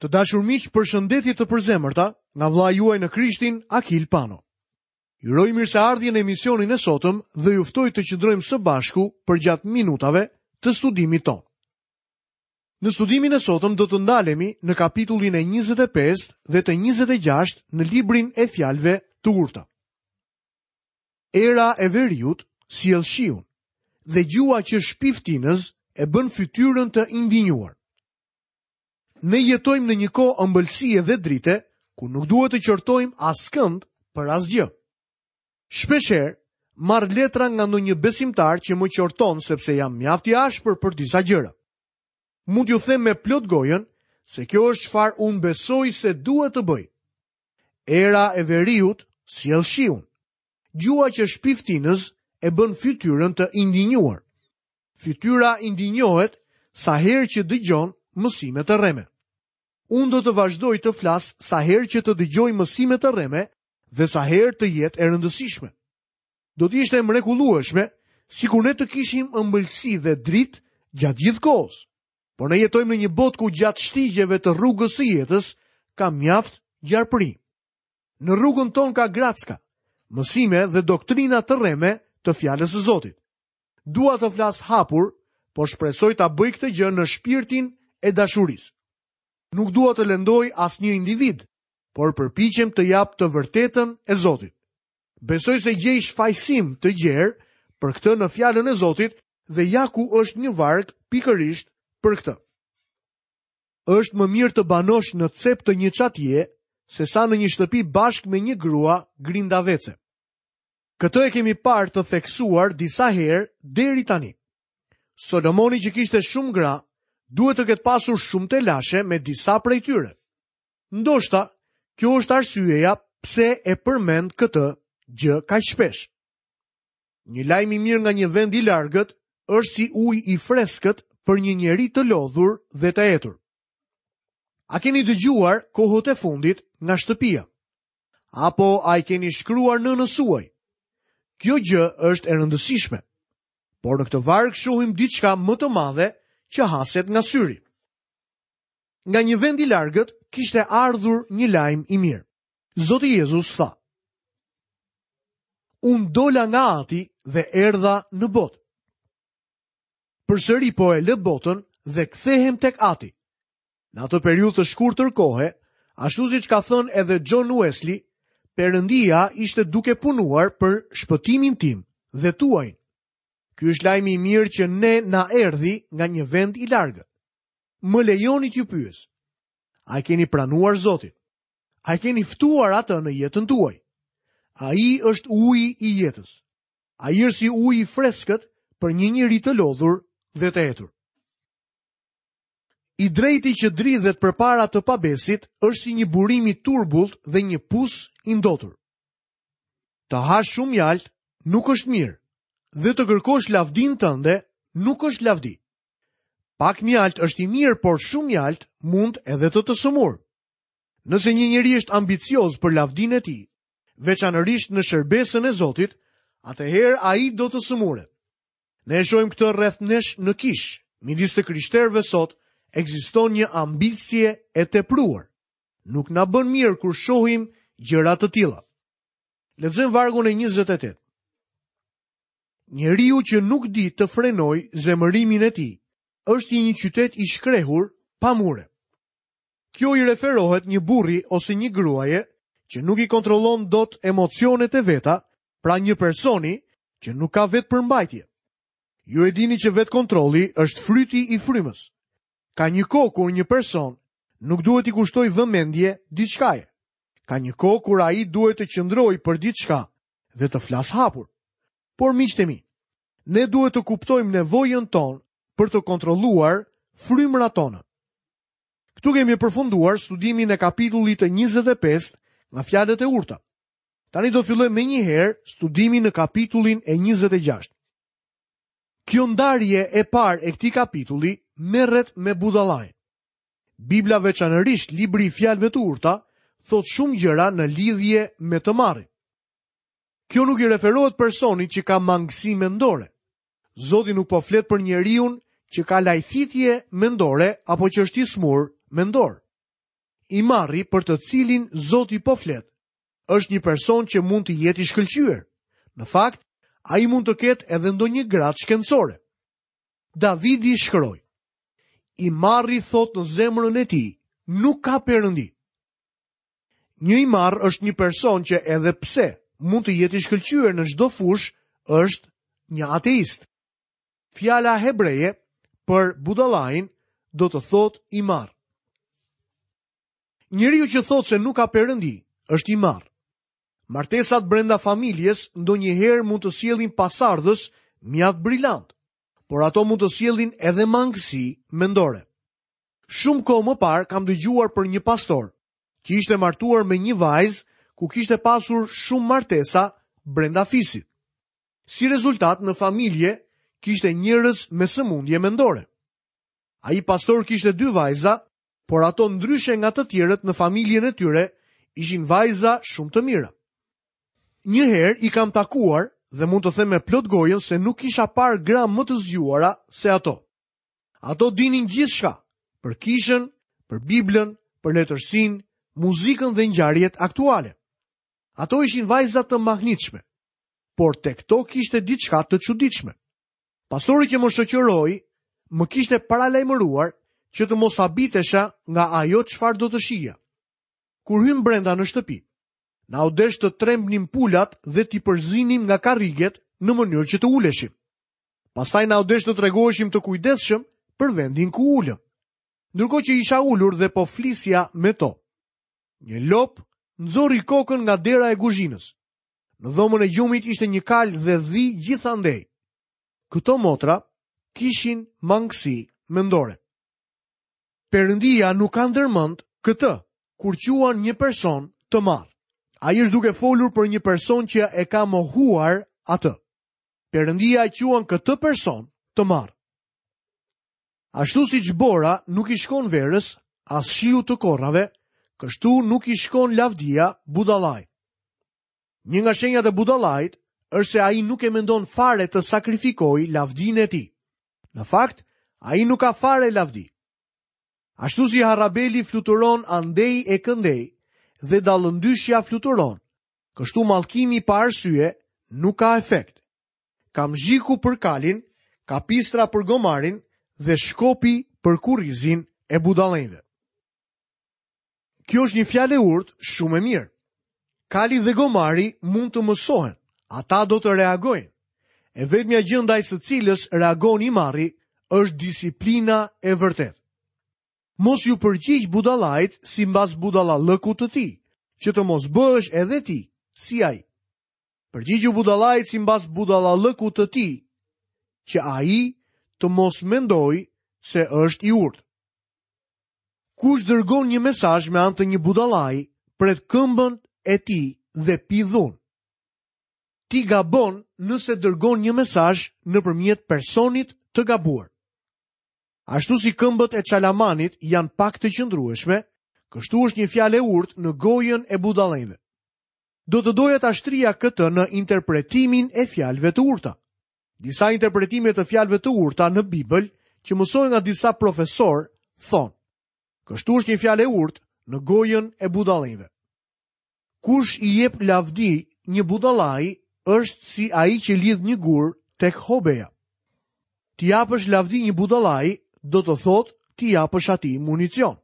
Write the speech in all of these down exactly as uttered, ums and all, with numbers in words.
Të dashur miq, përshëndetje të përzemërta nga vëllai juaj në Krishtin, Akil Pano. Ju uroj mirëseardhje në emisionin e sotëm dhe ju ftoj të qëndrojmë së bashku përgjatë minutave të studimit tonë. Në studimin e sotëm do të ndalemi në kapitullin e njëzet e pesë dhe të njëzet e gjashtë në librin e fjalëve të urta. Era e veriut sjell shiun dhe gjuha që shpiftinës e bën fytyrën të indinjuar. Ne jetojmë në një kohë ëmbëlsie dhe drite, ku nuk duhet të qortojmë askënd për asgjë. Shpeshherë marr letra nga ndonjë besimtar që më qorton sepse jam mjaft i ashpër për disa gjëra. Mund t'ju them me plot gojën se kjo është çfarë unë besoj se duhet të bëj. Era e veriut sjell shiun. Gjuha që shpiftinës e bën fytyrën të indinjuar. Fytyra indinjohet sa herë që dëgjon mësime të rreme. Unë do të vazhdoj të flas sa herë që të dëgjoj mësime të rreme dhe sa herë të jetë e rëndësishme. Do të ishte e mrekullueshme sikur ne të kishim ëmbëlsi dhe dritë gjatë gjithë kohës. Por ne jetojmë në një botë ku gjatë shtigjeve të rrugës së jetës ka mjaft gjarpëri. Në rrugën tonë ka gracka, mësime dhe doktrina të rreme të fjalës së Zotit. Dua të flas hapur, por shpresoj ta bëj këtë gjë në shpirtin e dashurisë. Nuk dua të lëndoj asnjë individ, por përpiqem të jap të vërtetën e Zotit. Besoj se gjej shfajësim të gjerë për këtë në fjalën e Zotit dhe ja ku është një varg pikërisht për këtë. Është më mirë të banosh në cep të një çatie se sa në një shtëpi bashkë me një grua grindavece. Këtë e kemi parë të theksuar disa herë deri tani. Solomoni që kishte shumë gra, duhet të ketë pasur shumë telashe me disa prej tyre. Ndoshta, kjo është arsyeja pse e përmend këtë gjë kaq shpesh. Një lajm i mirë nga një vend i largët është si ujë i freskët për një njeri të lodhur dhe të etur. A keni dëgjuar kohët e fundit nga shtëpia? Apo a i keni shkruar nënës suaj? Kjo gjë është e rëndësishme. Por në këtë varg shohim diçka më të madhe që haset nga syri. Nga një vend i largët kishte ardhur një lajm i mirë. Zoti Jezus tha: Unë dola nga Ati dhe erdha në botë. Përsëri po e lë botën dhe kthehem tek Ati. Në atë periudhë të shkurtër kohe, ashtu siç ka thënë edhe John Wesley, Perëndia ishte duke punuar për shpëtimin tim dhe tuajin. Ky është lajmi i mirë që ne na erdhi nga një vend i largët. Më lejoni t'ju pyes. A e keni pranuar Zotin? A e keni ftuar atë në jetën tuaj? Ai është uji i jetës. Ai është si uji i freskët për një njeri të lodhur dhe të etur. I drejti që dridhet përpara të pabesit është si një burim i turbullt dhe një pus i ndotur. Të hash shumë mjalt nuk është mirë dhe të kërkosh lavdin tënde nuk është lavdi. Pak mjalt është i mirë, por shumë mjalt mund edhe të të sëmur. Nëse një njeri është ambicioz për lavdinë e tij, veçanërisht në shërbesën e Zotit, atëherë ai do të sëmuret. Ne e shohim këtë rreth nesh në kish, midis të krishterëve sot ekziston një ambicie e tepruar. Nuk na bën mirë kur shohim gjëra të tilla. Lexojmë vargun e njëzet e tetë. Njeriu që nuk di të frenoj zemërimin e tij, është i një qytet i shkrehur pa mure. Kjo i referohet një burri ose një gruaje që nuk i kontrollon dot emocionet e veta, pra një personi që nuk ka vetë përmbajtje. Ju e dini që vetë kontrolli është fryti i frymës. Ka një kohë kur një person nuk duhet i kushtoj vëmendje diçkaje. Ka një kohë kur ai duhet të qëndrojë për diçka dhe të flas hapur. Por miqtë e mi, ne duhet të kuptojmë nevojën tonë për të kontrolluar frymërat tona. Këtu kemi përfunduar studimin e kapitullit të njëzet e pesë nga fjalët e urta. Tani do fillojmë menjëherë studimin në kapitullin e njëzet e gjashtë. Kjo ndarje e parë e këtij kapitulli merret me budallajn. Bibla, veçanërisht libri i fjalëve të urta, thot shumë gjëra në lidhje me të marrin. Kjo nuk i referohet personit që ka mangësi mendore. Zoti nuk po flet për njeriun që ka lajthitje mendore apo që është i smur mendor. I marri për të cilin Zoti po flet, është një person që mund të jetë i shkëlqyer. Në fakt, ai mund të ketë edhe ndonjë gradë shkencore. Davidi shkroi: I marri thot në zemrën e tij, nuk ka perëndi. Një i marrë është një person që edhe pse mund të jetë i shkëlqyer në çdo fushë, është një ateist. Fjala hebreje për budallain do të thotë i marrë. Njeriu që thotë se nuk ka perëndi është i marrë. Martesat brenda familjes ndonjëherë mund të sjellin pasardhës mjaft brilant, por ato mund të sjellin edhe mangësi mendore. Shumë kohë më parë kam dëgjuar për një pastor që ishte martuar me një vajzë ku kishte pasur shumë martesa brenda fisit. Si rezultat, në familje kishte njerëz me sëmundje mendore. Ai pastor kishte dy vajza, por ato ndryshe nga të tjerët në familjen e tyre ishin vajza shumë të mira. Një herë i kam takuar dhe mund të them me plot gojën se nuk kisha parë gra më të zgjuara se ato. Ato dinin gjithçka për kishën, për Biblën, për letërsinë, muzikën dhe ngjarjet aktuale. Ato ishin vajza të mahnitshme, por tek to kishte diçka të çuditshme. Pastori që më shoqëroi më kishte paralajmëruar që të mos habitesha nga ajo çfarë do të shihja. Kur hym brenda në shtëpi, na u desh të trembnim pulat dhe t'i përzinim nga karriget në mënyrë që të uleshim. Pastaj na u desh të tregoheshim të kujdesshëm për vendin ku ulëm. Ndërkohë që isha ulur dhe po flisja me to, një lop nxori kokën nga dera e kuzhinës. Në dhomën e gjumit ishte një kalë dhe dhi gjithandej. Këto motra kishin mangësi mendore. Perëndia nuk ka ndërmend këtë kur quan një person të marrë. Ai është duke folur për një person që e ka mohuar atë. Perëndia e quan këtë person të marrë. Ashtu siç bora nuk i shkon verës, as shiu të korrave, kështu nuk i shkon lavdia budallait. Një nga shenjat e budallait është se ai nuk e mendon fare të sakrifikojë lavdinë e tij. Në fakt, ai nuk ka fare lavdi. Ashtu si harabeli fluturon andej e këndej dhe dallëndyshja fluturon, kështu mallkimi pa arsye nuk ka efekt. Kamzhiku për kalin, kapistra për gomarin dhe shkopi për kurrizin e budallenjve. Kjo është një fjalë e urtë shumë e mirë. Kali dhe gomari mund të mësohen, ata do të reagojnë. E vetmja gjë ndaj së cilës reagon i marri është disiplina e vërtetë. Mos ju përgjigj budallait sipas budallallëkut të tij, që të mos bëhesh edhe ti si ai. Përgjigju budallait sipas budallallëkut të tij, që ai të mos mendojë se është i urtë. Kush dërgon një mesazh me anë të një budallai, pret këmbën e tij dhe pi dhunë. Ti gabon nëse dërgon një mesazh nëpërmjet personit të gabuar. Ashtu si këmbët e çalamanit janë pak të qëndrueshme, kështu është një fjalë e urtë në gojën e budallenjve. Do të doja ta shtrija këtë në interpretimin e fjalëve të urta. Disa interpretime të fjalëve të urta në Bibël që mësohen nga disa profesor thonë: kështu është një fjalë e urtë në gojën e budallenjve. Kush i jep lavdi një budallai është si ai që lidh një gur tek hobeja. T'i japësh lavdi një budallai do të thotë t'i japësh atij municion.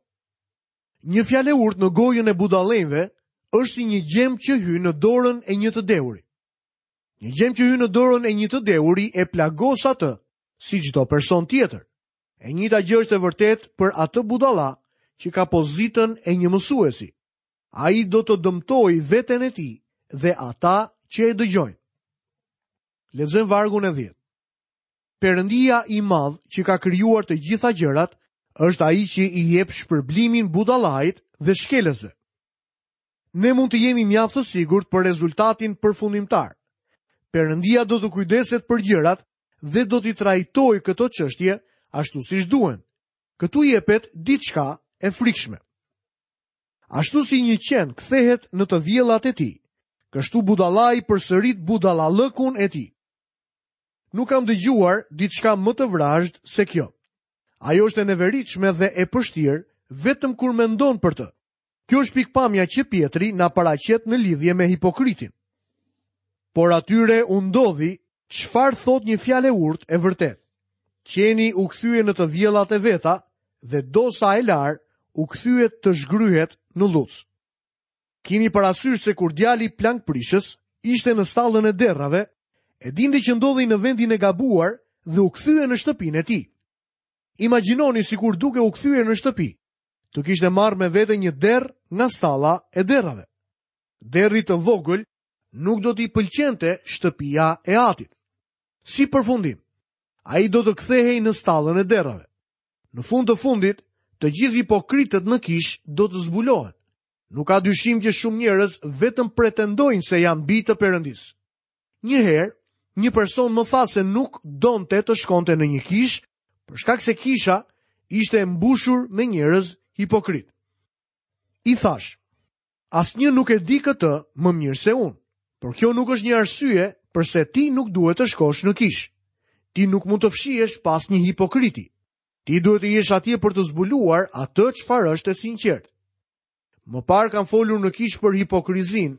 Një fjalë e urtë në gojën e budallenjve është si një gjemb që hyn në dorën e një të dehuri. Një gjemb që hyn në dorën e një të dehuri e plagos atë si çdo person tjetër. E njëjta gjë është e vërtetë për atë budalla që ka pozitën e një mësuesi. Ai do të dëmtojë veten e tij dhe ata që e dëgjojnë. Lexojmë vargun e dhjetë. Perëndia i madh që ka krijuar të gjitha gjërat është ai që i jep shpërblimin budallait dhe shkelësve. Ne mund të jemi mjaft të sigurt për rezultatin përfundimtar. Perëndia do të kujdeset për gjërat dhe do t'i trajtojë këto çështje ashtu siç duhen. Këtu jepet diçka e frikshme. Ashtu si një qen kthehet në të vjellat e tij, kështu budallai përsërit budallallëkun e tij. Nuk kam dëgjuar diçka më të vrazhd se kjo. Ajo është e neveritshme dhe e pështirë vetëm kur mendon për të. Kjo është pikëpamja që Pjetri na paraqet në lidhje me hipokritin. Por atyre u ndodhi çfarë thotë një fjalë e urtë e vërtetë. Qeni u kthye në të vjellat e veta dhe dosa e larë u kthye të zhgryhet në lluc. Kini parasysh se kur djali plankprishës ishte në stallën e derrave, e dinte që ndodhi në vendin e gabuar dhe u kthye në shtëpinë e tij. Imagjinoni sikur duke u kthyer në shtëpi, të kishte marrë me vete një derr nga stalla e derrave. Derrit të vogël nuk do t'i pëlqente shtëpia e atit. Si përfundim, ai do të kthehej në stallën e derrave. Në fund të fundit, të gjithë hipokritët në kishë do të zbulohen. Nuk ka dyshim që shumë njerëz vetëm pretendojnë se janë bij të Perëndisë. Një herë, një person më tha se nuk donte të shkonte në një kishë, për shkak se kisha ishte e mbushur me njerëz hipokrit. I thash, asnjë nuk e di këtë më mirë se unë, por kjo nuk është një arsye përse ti nuk duhet të shkosh në kishë. Ti nuk mund të fshihesh pas një hipokriti. Ti duhet të jesh atje për të zbuluar atë çfarë është e sinqertë. Më parë kam folur në kishë për hipokrizinë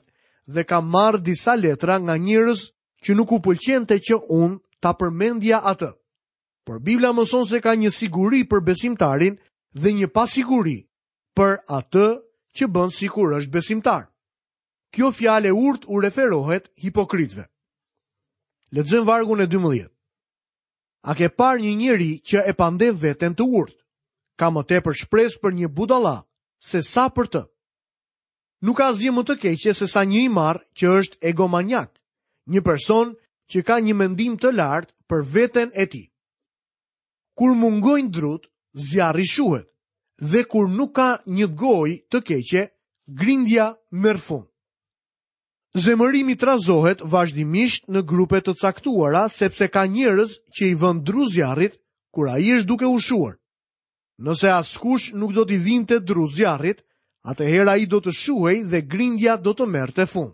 dhe kam marrë disa letra nga njerëz që nuk u pëlqente që unë ta përmendja atë. Por Bibla mëson se ka një siguri për besimtarin dhe një pasiguri për atë që bën sikur është besimtar. Kjo fjalë e urtë u referohet hipokritëve. Lexojmë vargun e dymbëdhjetë. A ke parë një njeri që e pandeh veten të urtë? Ka më tepër shpresë për një budalla se sa për të. Nuk ka asgjë më të keqe se sa një i marr që është egomanjak, një person që ka një mendim të lartë për veten e tij. Kur mungojnë drut, zjarri shuhet, dhe kur nuk ka një gojë të keqe, grindja merr fund. Zemërimi trazohet vazhdimisht në grupe të caktuara sepse ka njerëz që i vënë dru zjarrit kur ai është duke u shuar. Nëse askush nuk do t'i vinte dru zjarrit, atëherë ai do të shuhej dhe grindja do të merrte fund.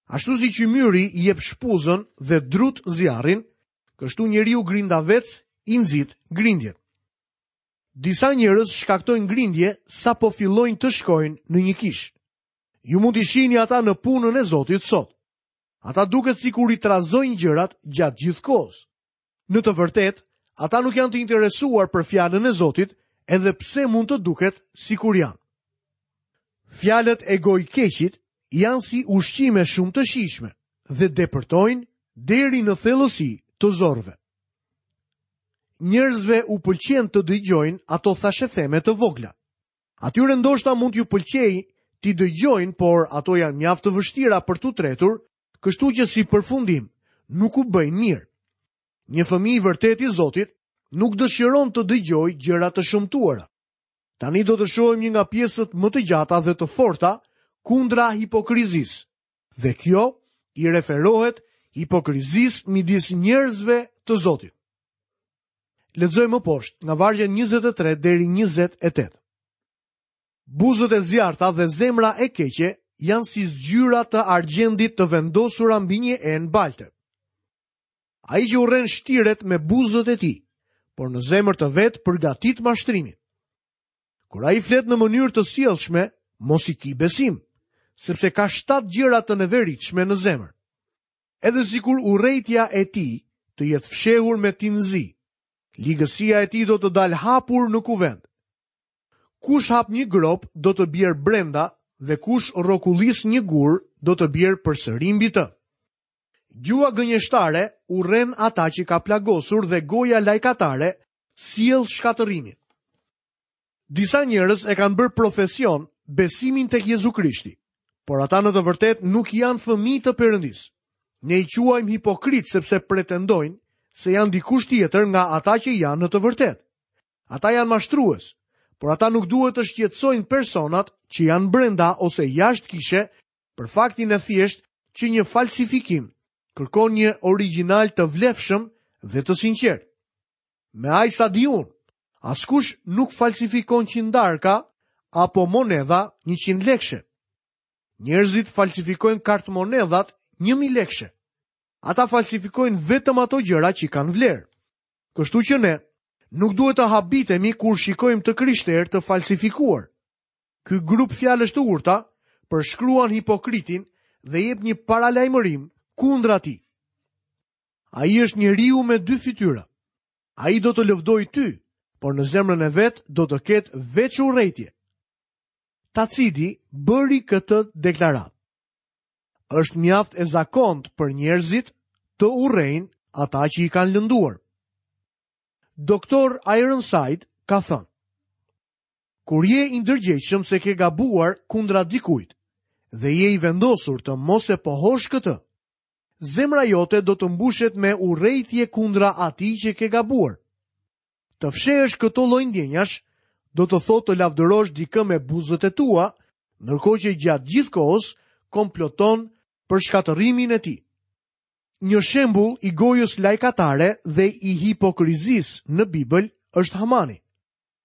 Ashtu si qymyri i jep shpuzën dhe drut zjarrin, kështu njeriu grindavec i nxit grindjet. Disa njerëz shkaktojnë grindje sapo fillojnë të shkojnë në një kishë. Ju mund t'i shihni ata në punën e Zotit sot. Ata duket sikur i trazojnë gjërat gjatë gjithë kohës. Në të vërtetë, ata nuk janë të interesuar për fjalën e Zotit, edhe pse mund të duket sikur janë. Fjalët e gojkeqit janë si ushqime shumë të shijshme dhe depërtojnë deri në thellësi të zorrëve. Njerëzve u pëlqen të dëgjojnë ato thashetheme të vogla. Atyre ndoshta mund t'ju pëlqejë t'i dëgjojnë, por ato janë mjaft të vështira për t'u tretur, kështu që si përfundim nuk u bëjnë mirë. Një fëmijë i vërtetë i Zotit nuk dëshiron të dëgjojë gjëra të shëmtuara. Tani do të shohim një nga pjesët më të gjata dhe të forta kundra hipokrizisë. Dhe kjo i referohet hipokrizisë midis njerëzve të Zotit. Lexojmë më poshtë, nga vargja njëzet e tre deri njëzet e tetë. Buzët e zjarrta dhe zemra e keqe janë si zgjyra të argjendit të vendosura mbi një enë balte. Ai që urren shtiret me buzët e tij, por në zemër të vet përgatit mashtrimin. Kur ai flet në mënyrë të sjellshme, mos i ki besim, sepse ka shtatë gjëra të neveritshme në zemër. Edhe sikur urrejtja e tij të jetë fshehur me tinzi, ligësia e tij do të dalë hapur në kuvend. Kush hap një grop do të bjerë brenda dhe kush rrokullis një gur do të bjerë përsëri mbi të. Gjuha gënjeshtare urren ata që ka plagosur dhe goja lajkatare sjell shkatërrimin. Disa njerëz e kanë bërë profesion besimin tek Jezu Krishti, por ata në të vërtetë nuk janë fëmijë të Perëndisë. Ne i quajmë hipokrit sepse pretendojnë se janë dikush tjetër nga ata që janë në të vërtetë. Ata janë mashtrues, por ata nuk duhet të shqetësojnë personat që janë brenda ose jashtë kishe për faktin e thjeshtë që një falsifikim kërkon një origjinal të vlefshëm dhe të sinqertë. Me aq sa di unë, askush nuk falsifikon qindarka apo monedha njëqind lekëshe. Njerëzit falsifikojnë kartmonedhat një mijë lekëshe. Ata falsifikojnë vetëm ato gjëra që kanë vlerë. Kështu që ne nuk duhet të habitemi kur shikojmë të krishterë të falsifikuar. Ky grup fjalësh të urta përshkruan hipokritin dhe jep një paralajmërim kundra tij. Ai është njeriu me dy fytyra. Ai do të lëvdojë ty, por në zemrën e vet do të ketë veç urrejtje. Taciti bëri këtë deklaratë. Është mjaft e zakont për njerëzit të urrejnë ata që i kanë lënduar. Doktor Ironside ka thënë: Kur je i ndërgjegjshëm se ke gabuar kundra dikujt dhe je i vendosur të mos e pohosh këtë, zemra jote do të mbushet me urrejtje kundra atij që ke gabuar. Të fshehësh këto lloj ndjenjash do të thotë të lavdërosh dikë me buzët e tua, ndërkohë që gjatë gjithë kohës komploton për shkatërrimin e tij. Një shembull i gojës lajkatare dhe i hipokrizisë në Bibël është Hamani.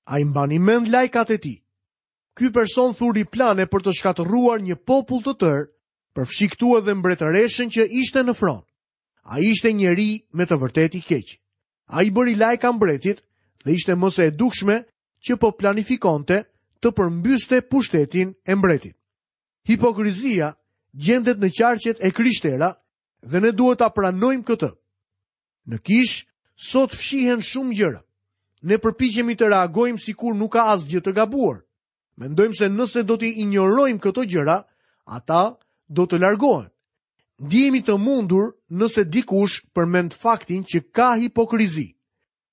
Ai mbani mend lajkat e tij. Ky person thuri plane për të shkatërruar një popull të tërë, përfshi këtu edhe mbretëreshën që ishte në fron. Ai ishte njeri me të vërtetë i keq. Ai bëri lajka mbretit dhe ishte më se e dukshme që po planifikonte të përmbyste pushtetin e mbretit. Hipokrizia gjendet në qarqet e krishtera dhe ne duhet ta pranojmë këtë. Në kish sot fshihen shumë gjëra. Ne përpiqemi të reagojmë sikur nuk ka asgjë të gabuar. Mendojmë se nëse do t'i injorojmë këto gjëra, ata do të largohen. Ndihemi të mundur nëse dikush përmend faktin që ka hipokrizi.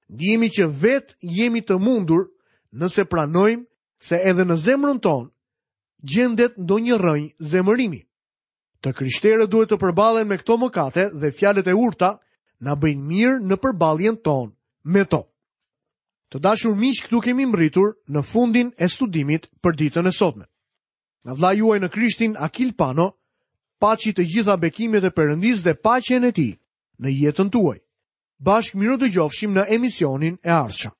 Ndihemi që vetë jemi të mundur nëse pranojmë se edhe në zemrën tonë gjendet ndonjë rrënjë zemërimi. Të krishterët duhet të përballen me këto mëkate dhe fjalët e urta na bëjnë mirë në përballjen tonë me to. Të dashur miq, këtu kemi mbërritur në fundin e studimit për ditën e sotme. Nga vëllai juaj në Krishtin Akil Pano, paçi të gjitha bekimet e Perëndisë dhe paqen e tij në jetën tuaj. Bashkë mirudëgjofshim në emisionin e ardhshëm.